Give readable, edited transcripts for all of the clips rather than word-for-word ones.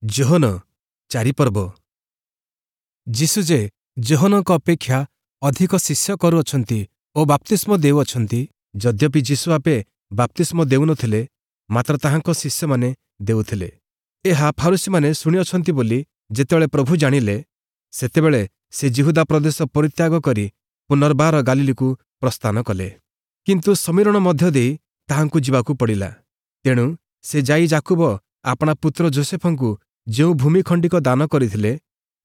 ଯୋହନ 4 ପର୍ବ। ଯୀଶୁ ଯେ ଯୋହନଙ୍କ ଅପେକ୍ଷା ଅଧିକ ଶିଷ୍ୟ କରୁଅଛନ୍ତି ଓ ବାପ୍ତିସ୍ମ ଦେଉଅଛନ୍ତି, ଯଦ୍ୟପି ଯୀଶୁ ଆପେ ବାପ୍ତିସ୍ମ ଦେଉନଥିଲେ, ମାତ୍ର ତାହାଙ୍କ ଶିଷ୍ୟମାନେ ଦେଉଥିଲେ, ଏହା ଫାରୂଶୀମାନେ ଶୁଣିଅଛନ୍ତି ବୋଲି ଯେତେବେଳେ ପ୍ରଭୁ ଜାଣିଲେ, ସେତେବେଳେ ସେ ଯିହୁଦା ପ୍ରଦେଶ ପରିତ୍ୟାଗ କରି ପୁନର୍ବାର ଗାଲିଲୀକୁ ପ୍ରସ୍ଥାନ କଲେ। କିନ୍ତୁ ଶମିରୋଣ ମଧ୍ୟ ଦେଇ ତାହାଙ୍କୁ ଯିବାକୁ ପଡ଼ିଲା। ତେଣୁ ସେ ଯାଇ ଯାକୁବ ଆପଣା ପୁତ୍ର ଯୋଷେଫଙ୍କୁ ଯେଉଁ ଭୂମି ଖଣ୍ଡିକ ଦାନ କରିଥିଲେ,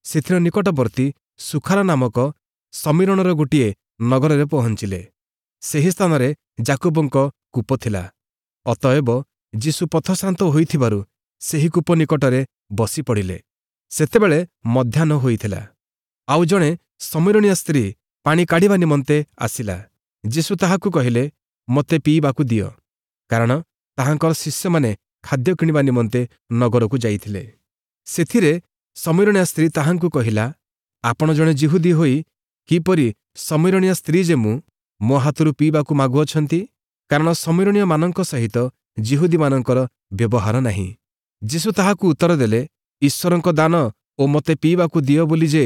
ସେଥିର ନିକଟବର୍ତ୍ତୀ ସୁଖାର ନାମକ ଶମିରୋଣର ଗୋଟିଏ ନଗରରେ ପହଞ୍ଚିଲେ। ସେହି ସ୍ଥାନରେ ଯାକୁବଙ୍କ କୂପ ଥିଲା। ଅତଏବ ଯୀଶୁ ପଥଶ୍ରାନ୍ତ ହୋଇଥିବାରୁ ସେହି କୂପ ନିକଟରେ ବସି ପଡ଼ିଲେ। ସେତେବେଳେ ମଧ୍ୟାହ୍ନ ହୋଇଥିଲା। ଆଉ ଜଣେ ଶମିରୋଣୀୟ ସ୍ତ୍ରୀ ପାଣି କାଢ଼ିବା ନିମନ୍ତେ ଆସିଲା। ଯୀଶୁ ତାହାକୁ କହିଲେ, "ମୋତେ ପିଇବାକୁ ଦିଅ।" କାରଣ ତାହାଙ୍କର ଶିଷ୍ୟମାନେ ଖାଦ୍ୟ କିଣିବା ନିମନ୍ତେ ନଗରକୁ ଯାଇଥିଲେ। ସେଥିରେ ଶମିରୋଣୀୟ ସ୍ତ୍ରୀ ତାହାଙ୍କୁ କହିଲା, "ଆପଣ ଜଣେ ଯିହୁଦୀ ହୋଇ କିପରି ଶମିରୋଣୀୟ ସ୍ତ୍ରୀ ଯେ ମୁଁ, ମୋ ହାତରୁ ପିଇବାକୁ ମାଗୁଅଛନ୍ତି?" କାରଣ ଶମିରୋଣୀୟମାନଙ୍କ ସହିତ ଯିହୁଦୀମାନଙ୍କର ବ୍ୟବହାର ନାହିଁ। ଯୀଶୁ ତାହାକୁ ଉତ୍ତର ଦେଲେ, "ଈଶ୍ୱରଙ୍କ ଦାନ ଓ ମୋତେ ପିଇବାକୁ ଦିଅ ବୋଲି ଯେ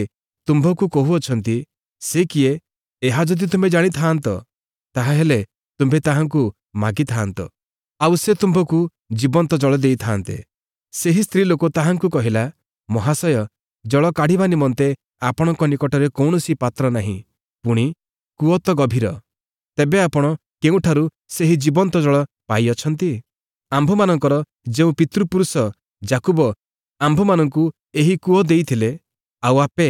ତୁମ୍ଭକୁ କହୁଅଛନ୍ତି, ସେ କିଏ, ଏହା ଯଦି ତୁମ୍ଭେ ଜାଣିଥାଆନ୍ତ, ତାହାହେଲେ ତୁମ୍ଭେ ତାହାଙ୍କୁ ମାଗିଥାଆନ୍ତ, ଆଉ ସେ ତୁମ୍ଭକୁ ଜୀବନ୍ତ ଜଳ ଦେଇଥାନ୍ତେ।" ସେହି ସ୍ତ୍ରୀ ଲୋକ ତାହାଙ୍କୁ କହିଲା, "ମହାଶୟ, ଜଳ କାଢ଼ିବା ନିମନ୍ତେ ଆପଣଙ୍କ ନିକଟରେ କୌଣସି ପାତ୍ର ନାହିଁ, ପୁଣି କୂଅ ତ ଗଭୀର। ତେବେ ଆପଣ କେଉଁଠାରୁ ସେହି ଜୀବନ୍ତ ଜଳ ପାଇଅଛନ୍ତି? ଆମ୍ଭମାନଙ୍କର ଯେଉଁ ପିତୃପୁରୁଷ ଯାକୁବ ଆମ୍ଭମାନଙ୍କୁ ଏହି କୂଅ ଦେଇଥିଲେ, ଆଉ ଆପେ,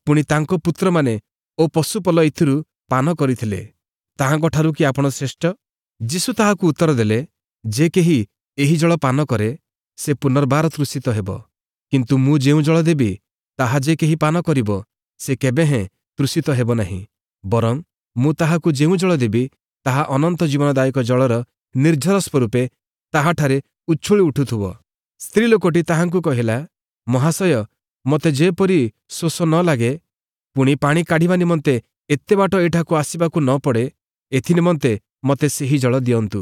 ପୁଣି ତାଙ୍କ ପୁତ୍ରମାନେ ଓ ପଶୁପଲ ଏଥିରୁ ପାନ କରିଥିଲେ, ତାହାଙ୍କଠାରୁ କି ଆପଣ ଶ୍ରେଷ୍ଠ?" ଯୀଶୁ ତାହାକୁ ଉତ୍ତର ଦେଲେ, "ଯେ କେହି ଏହି ଜଳ ପାନ କରେ, ସେ ପୁନର୍ବାର ତୃଷିତ ହେବ। କିନ୍ତୁ ମୁଁ ଯେଉଁ ଜଳ ଦେବି, ତାହା ଯେ କେହି ପାନ କରିବ, ସେ କେବେହେଁ ତୃଷିତ ହେବ ନାହିଁ। ବରଂ ମୁଁ ତାହାକୁ ଯେଉଁ ଜଳ ଦେବି, ତାହା ଅନନ୍ତ ଜୀବନଦାୟକ ଜଳର ନିର୍ଝର ସ୍ୱରୂପେ ତାହାଠାରେ ଉଛୁଳି ଉଠୁଥିବ।" ସ୍ତ୍ରୀ ଲୋକଟି ତାହାଙ୍କୁ କହିଲା, "ମହାଶୟ, ମୋତେ ଯେପରି ଶୋଷ ନ ଲାଗେ, ପୁଣି ପାଣି କାଢ଼ିବା ନିମନ୍ତେ ଏତେ ବାଟ ଏଠାକୁ ଆସିବାକୁ ନ ପଡ଼େ, ଏଥିନିମନ୍ତେ ମୋତେ ସେହି ଜଳ ଦିଅନ୍ତୁ।"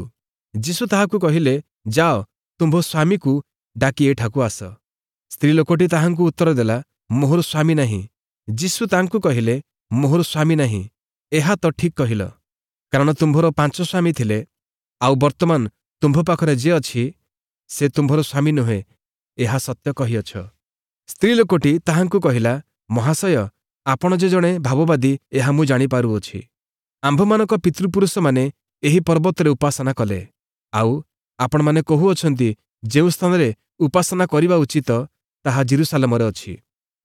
ଯୀଶୁ ତାହାକୁ କହିଲେ, "ଯାଅ, ତୁମ୍ଭ ସ୍ୱାମୀକୁ ଡାକି ଏଠାକୁ ଆସ।" ସ୍ତ୍ରୀ ଲୋକଟି ତାହାଙ୍କୁ ଉତ୍ତର ଦେଲା, "ମୋହର ସ୍ୱାମୀ ନାହିଁ।" ଯୀଶୁ ତାଙ୍କୁ କହିଲେ, "ମୋହର ସ୍ୱାମୀ ନାହିଁ, ଏହା ତ ଠିକ୍ କହିଲ। କାରଣ ତୁମ୍ଭର ପାଞ୍ଚ ସ୍ୱାମୀ ଥିଲେ, ଆଉ ବର୍ତ୍ତମାନ ତୁମ୍ଭ ପାଖରେ ଯେ ଅଛି, ସେ ତୁମ୍ଭର ସ୍ୱାମୀ ନୁହେଁ, ଏହା ସତ୍ୟ କହିଅଛ।" ସ୍ତ୍ରୀ ଲୋକଟି ତାହାଙ୍କୁ କହିଲା, "ମହାଶୟ, ଆପଣ ଯେ ଜଣେ ଭାବବାଦୀ, ଏହା ମୁଁ ଜାଣିପାରୁଅଛି। ଆମ୍ଭମାନଙ୍କ ପିତୃପୁରୁଷମାନେ ଏହି ପର୍ବତରେ ଉପାସନା କଲେ, ଆଉ ଆପଣମାନେ କହୁଅଛନ୍ତି, ଯେଉଁ ସ୍ଥାନରେ ଉପାସନା କରିବା ଉଚିତ, ତାହା ଯିରୂଶାଲମରେ ଅଛି।"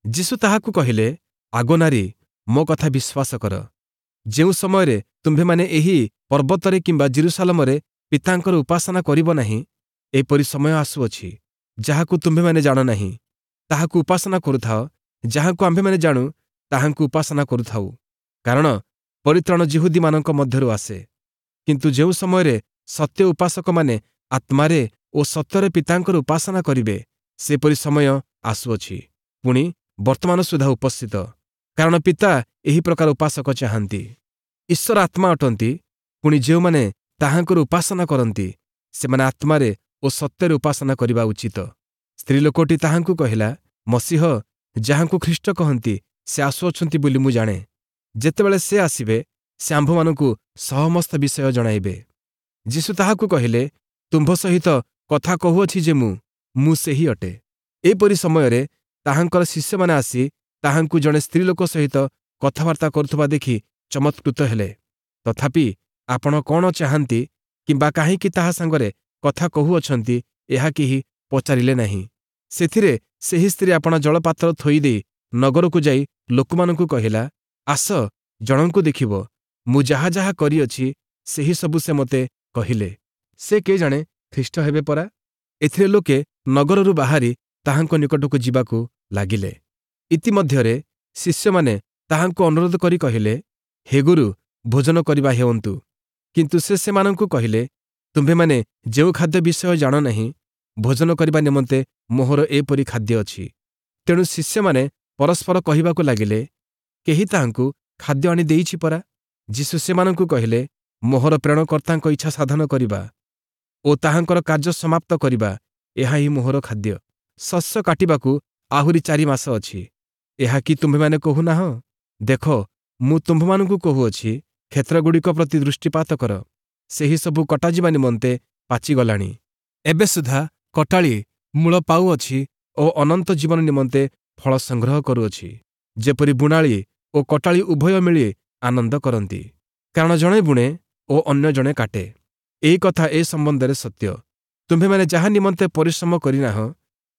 ଯୀଶୁ ତାହାକୁ କହିଲେ, "ଆଗୋ ନାରୀ, ମୋ କଥା ବିଶ୍ୱାସ କର, ଯେଉଁ ସମୟରେ ତୁମ୍ଭେମାନେ ଏହି ପର୍ବତରେ କିମ୍ବା ଯିରୂଶାଲମରେ ପିତାଙ୍କର ଉପାସନା କରିବ ନାହିଁ, ଏପରି ସମୟ ଆସୁଅଛି, ଯାହାକୁ ତୁମ୍ଭେମାନେ ଜାଣ ନାହିଁ। ତାହାକୁ ଉପାସନା କରୁଥାଅ। ଯାହାକୁ ଆମ୍ଭେମାନେ ଜାଣୁ, ତାହାଙ୍କୁ ଉପାସନା କରୁଥାଉ, କାରଣ ପରିତ୍ରାଣ ଯିହୁଦୀମାନଙ୍କ ମଧ୍ୟରୁ ଆସେ। କିନ୍ତୁ ଯେଉଁ ସମୟରେ ସତ୍ୟ ଉପାସକମାନେ ଆତ୍ମାରେ ଓ ସତ୍ୟରେ ପିତାଙ୍କର ଉପାସନା କରିବେ, ସେପରି ସମୟ ଆସୁଅଛି, ପୁଣି ବର୍ତ୍ତମାନ ସୁଦ୍ଧା ଉପସ୍ଥିତ। କାରଣ ପିତା ଏହି ପ୍ରକାର ଉପାସକ ଚାହାନ୍ତି। ଈଶ୍ୱର ଆତ୍ମା ଅଟନ୍ତି, ପୁଣି ଯେଉଁମାନେ ତାହାଙ୍କର ଉପାସନା କରନ୍ତି, ସେମାନେ ଆତ୍ମାରେ ଓ ସତ୍ୟରେ ଉପାସନା କରିବା ଉଚିତ।" ସ୍ତ୍ରୀ ଲୋକଟି ତାହାଙ୍କୁ କହିଲା, "ମସିହ, ଯାହାଙ୍କୁ ଖ୍ରୀଷ୍ଟ କହନ୍ତି, ସେ ଆସୁଅଛନ୍ତି ବୋଲି ମୁଁ ଜାଣେ। ଯେତେବେଳେ ସେ ଆସିବେ, ସେ ଆମ୍ଭମାନଙ୍କୁ ସମସ୍ତ ବିଷୟ ଜଣାଇବେ।" ଯୀଶୁ ତାହାକୁ କହିଲେ, "ତୁମ୍ଭ ସହିତ କଥା କହୁଅଛି ଯେ ମୁଁ, ମୁଁ ସେହି ଅଟେ।" ଏପରି ସମୟରେ ତାହାଙ୍କର ଶିଷ୍ୟମାନେ ଆସି ତାହାଙ୍କୁ ଜଣେ ସ୍ତ୍ରୀ ଲୋକ ସହିତ କଥାବାର୍ତ୍ତା କରୁଥିବା ଦେଖି ଚମତ୍କୃତ ହେଲେ। ତଥାପି ଆପଣ କ'ଣ ଚାହାନ୍ତି କିମ୍ବା କାହିଁକି ତାହା ସାଙ୍ଗରେ କଥା କହୁଅଛନ୍ତି, ଏହା କେହି ପଚାରିଲେ ନାହିଁ। ସେଥିରେ ସେହି ସ୍ତ୍ରୀ ଆପଣା ଜଳପାତ୍ର ଥୋଇଦେଇ ନଗରକୁ ଯାଇ ଲୋକମାନଙ୍କୁ କହିଲା, "ଆସ, ଜଣଙ୍କୁ ଦେଖିବ, ମୁଁ ଯାହା ଯାହା କରିଅଛି, ସେହି ସବୁ ସେ ମୋତେ କହିଲେ। ସେ କେ ଜାଣେ ଖ୍ରୀଷ୍ଟ ହେବେ ପରା?" ଏଥିରେ ଲୋକେ ନଗରରୁ ବାହାରି ତାହାଙ୍କ ନିକଟକୁ ଯିବାକୁ ଲାଗିଲେ। ଇତିମଧ୍ୟରେ ଶିଷ୍ୟମାନେ ତାହାଙ୍କୁ ଅନୁରୋଧ କରି କହିଲେ, "ହେ ଗୁରୁ, ଭୋଜନ କରିବା ହେଉନ୍ତୁ।" କିନ୍ତୁ ସେ ସେମାନଙ୍କୁ କହିଲେ, "ତୁମ୍ଭେମାନେ ଯେଉଁ ଖାଦ୍ୟ ବିଷୟ ଜାଣ ନାହିଁ। ଭୋଜନ କରିବା ନିମନ୍ତେ ମୋହର ଏପରି ଖାଦ୍ୟ ଅଛି।" ତେଣୁ ଶିଷ୍ୟମାନେ ପରସ୍ପର କହିବାକୁ ଲାଗିଲେ, "କେହି ତାହାଙ୍କୁ ଖାଦ୍ୟ ଆଣି ଦେଇଛି ପରା?" ଯୀଶୁ ସେମାନଙ୍କୁ କହିଲେ, "ମୋହର ପ୍ରେରଣକର୍ତ୍ତାଙ୍କ ଇଚ୍ଛା ସାଧନ କରିବା ଓ ତାହାଙ୍କର କାର୍ଯ୍ୟ ସମାପ୍ତ କରିବା, ଏହା ହିଁ ମୋହର ଖାଦ୍ୟ।" ଶସ୍ୟ କାଟିବାକୁ ଆହୁରି 4 ମାସ ଅଛି, ଏହା କି ତୁମ୍ଭେମାନେ କହୁନାହଁ? ଦେଖ, ମୁଁ ତୁମ୍ଭମାନଙ୍କୁ କହୁଅଛି, କ୍ଷେତ୍ରଗୁଡ଼ିକ ପ୍ରତି ଦୃଷ୍ଟିପାତ କର, ସେହି ସବୁ କଟାଯିବା ନିମନ୍ତେ ପାଚିଗଲାଣି। ଏବେ ସୁଦ୍ଧା କଟାଳି ମୂଳ ପାଉଅଛି ଓ ଅନନ୍ତ ଜୀବନ ନିମନ୍ତେ ଫଳ ସଂଗ୍ରହ କରୁଅଛି, ଯେପରି ବୁଣାଳି ଓ କଟାଳି ଉଭୟ ମିଳି ଆନନ୍ଦ କରନ୍ତି। କାରଣ ଜଣେ ବୁଣେ ଓ ଅନ୍ୟ ଜଣେ କାଟେ। ଏହି କଥା ଏ ସମ୍ବନ୍ଧରେ ସତ୍ୟ। ତୁମ୍ଭେମାନେ ଯାହା ନିମନ୍ତେ ପରିଶ୍ରମ କରିନାହଁ,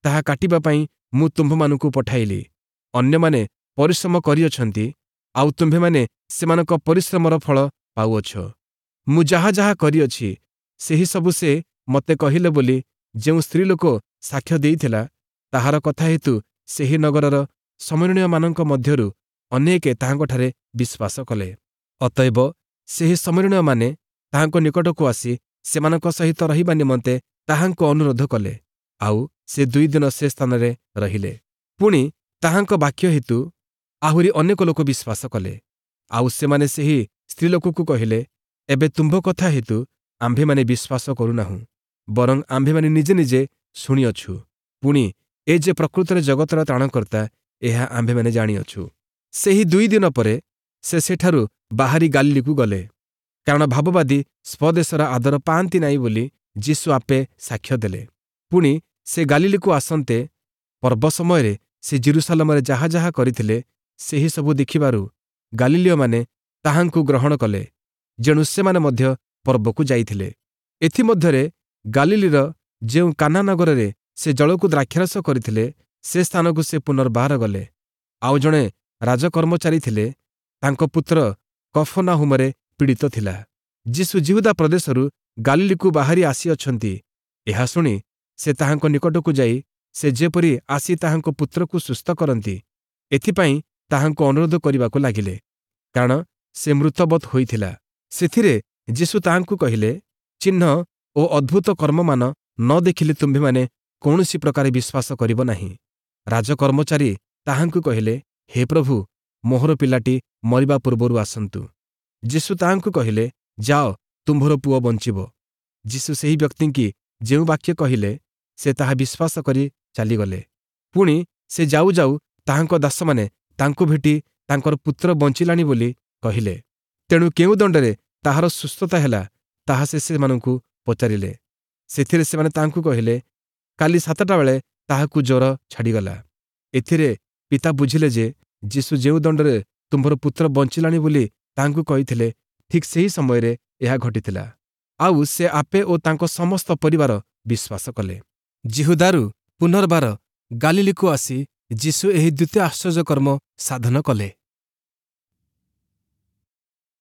ତାହା କାଟିବା ପାଇଁ ମୁଁ ତୁମ୍ଭମାନଙ୍କୁ ପଠାଇଲି। ଅନ୍ୟମାନେ ପରିଶ୍ରମ କରିଅଛନ୍ତି, ଆଉ ତୁମ୍ଭେମାନେ ସେମାନଙ୍କ ପରିଶ୍ରମର ଫଳ ପାଉଅଛ। ମୁଁ ଯାହା ଯାହା କରିଅଛି, ସେହି ସବୁ ସେ ମୋତେ କହିଲେ ବୋଲି ଯେଉଁ ସ୍ତ୍ରୀଲୋକ ସାକ୍ଷ୍ୟ ଦେଇଥିଲା, ତାହାର କଥା ହେତୁ ସେହି ନଗରର ଶମରୀଣୀୟମାନଙ୍କ ମଧ୍ୟରୁ ଅନେକେ ତାହାଙ୍କଠାରେ ବିଶ୍ୱାସ କଲେ। ଅତଏବ ସେହି ଶମରୀଣୀୟମାନେ ତାହାଙ୍କ ନିକଟକୁ ଆସି ସେମାନଙ୍କ ସହିତ ରହିବା ନିମନ୍ତେ ତାହାଙ୍କୁ ଅନୁରୋଧ କଲେ, ଆଉ ସେ 2 ଦିନ ସେ ସ୍ଥାନରେ ରହିଲେ। ପୁଣି ତାହାଙ୍କ ବାକ୍ୟ ହେତୁ ଆହୁରି ଅନେକ ଲୋକ ବିଶ୍ୱାସ କଲେ। ଆଉ ସେମାନେ ସେହି ସ୍ତ୍ରୀଲୋକକୁ କହିଲେ, ଏବେ ତୁମ୍ଭ କଥା ହେତୁ ଆମ୍ଭେମାନେ ବିଶ୍ୱାସ କରୁନାହୁଁ, ବରଂ ଆମ୍ଭେମାନେ ନିଜେ ନିଜେ ଶୁଣିଅଛୁ, ପୁଣି ଏ ଯେ ପ୍ରକୃତରେ ଜଗତର ତ୍ରାଣକର୍ତ୍ତା, ଏହା ଆମ୍ଭେମାନେ ଜାଣିଅଛୁ। ସେହି 2 ଦିନ ପରେ ସେ ସେଠାରୁ ବାହାରି ଗାଲିଲିକୁ ଗଲେ, କାରଣ ଭାବବାଦୀ ସ୍ୱଦେଶର ଆଦର ପାଆନ୍ତି ନାହିଁ ବୋଲି ଯୀଶୁ ଆପେ ସାକ୍ଷ୍ୟ ଦେଲେ। ପୁଣି ସେ ଗାଲିଲିକୁ ଆସନ୍ତେ ପର୍ବ ସମୟରେ ସେ ଯିରୂଶାଲମରେ ଯାହା ଯାହା କରିଥିଲେ, ସେହି ସବୁ ଦେଖିବାରୁ ଗାଲିଲୀୟମାନେ ତାହାଙ୍କୁ ଗ୍ରହଣ କଲେ, ଯେଣୁ ସେମାନେ ମଧ୍ୟ ପର୍ବକୁ ଯାଇଥିଲେ। ଏଥିମଧ୍ୟରେ ଗାଲିଲୀର ଯେଉଁ କାନା ନଗରରେ ସେ ଜଳକୁ ଦ୍ରାକ୍ଷାରସ କରିଥିଲେ, ସେ ସ୍ଥାନକୁ ସେ ପୁନର୍ବାର ଗଲେ। ଆଉ ଜଣେ ରାଜକର୍ମଚାରୀ ଥିଲେ, ତାଙ୍କ ପୁତ୍ର କଫନାହୁମରେ ପୀଡ଼ିତ ଥିଲା। ଯୀଶୁ ଯିହୁଦା ପ୍ରଦେଶରୁ ଗାଲିଲୀକୁ ବାହାରି ଆସିଅଛନ୍ତି, ଏହା ଶୁଣି ସେ ତାହାଙ୍କ ନିକଟକୁ ଯାଇ ସେ ଯେପରି ଆସି ତାହାଙ୍କ ପୁତ୍ରକୁ ସୁସ୍ଥ କରନ୍ତି, ଏଥିପାଇଁ ତାହାଙ୍କୁ ଅନୁରୋଧ କରିବାକୁ ଲାଗିଲେ, କାରଣ ସେ ମୃତବତ୍ ହୋଇଥିଲା। ସେଥିରେ ଯୀଶୁ ତାହାଙ୍କୁ କହିଲେ, ଚିହ୍ନ ଓ ଅଦ୍ଭୁତ କର୍ମମାନ ନ ଦେଖିଲେ ତୁମ୍ଭେମାନେ କୌଣସି ପ୍ରକାରେ ବିଶ୍ୱାସ କରିବ ନାହିଁ। ରାଜକର୍ମଚାରୀ ତାହାଙ୍କୁ କହିଲେ, ହେ ପ୍ରଭୁ, ମୋହର ପିଲାଟି ମରିବା ପୂର୍ବରୁ ଆସନ୍ତୁ। ଯୀଶୁ ତାହାଙ୍କୁ କହିଲେ, ଯାଅ, ତୁମ୍ଭର ପୁଅ ବଞ୍ଚିବ। ଯୀଶୁ ସେହି ବ୍ୟକ୍ତିଙ୍କି ଯେଉଁ ବାକ୍ୟ କହିଲେ, ସେ ତାହା ବିଶ୍ୱାସ କରି ଚାଲିଗଲେ। ପୁଣି ସେ ଯାଉ ଯାଉ ତାହାଙ୍କ ଦାସମାନେ ତାଙ୍କୁ ଭେଟି ତାଙ୍କର ପୁତ୍ର ବଞ୍ଚିଲାଣି ବୋଲି କହିଲେ। ତେଣୁ କେଉଁ ଦଣ୍ଡରେ ତାହାର ସୁସ୍ଥତା ହେଲା, ତାହା ସେ ସେମାନଙ୍କୁ ପଚାରିଲେ। ସେଥିରେ ସେମାନେ ତାହାଙ୍କୁ କହିଲେ, କାଲି 7ଟା ବେଳେ ତାହାକୁ ଜ୍ୱର ଛାଡ଼ିଗଲା। ଏଥିରେ ପିତା ବୁଝିଲେ ଯେ ଯୀଶୁ ଯେଉଁ ଦଣ୍ଡରେ ତୁମ୍ଭର ପୁତ୍ର ବଞ୍ଚିଲାଣି ବୋଲି ତାହାଙ୍କୁ କହିଥିଲେ, ଠିକ୍ ସେହି ସମୟରେ ଏହା ଘଟିଥିଲା। ଆଉ ସେ ଆପେ ଓ ତାଙ୍କ ସମସ୍ତ ପରିବାର ବିଶ୍ୱାସ କଲେ। ଯିହୁଦାରୁ ପୁନର୍ବାର ଗାଲିଲିକୁ ଆସି ଯୀଶୁ ଏହି ଦ୍ୱିତୀୟ ଆଶ୍ଚର୍ଯ୍ୟକର୍ମ ସାଧନ କଲେ।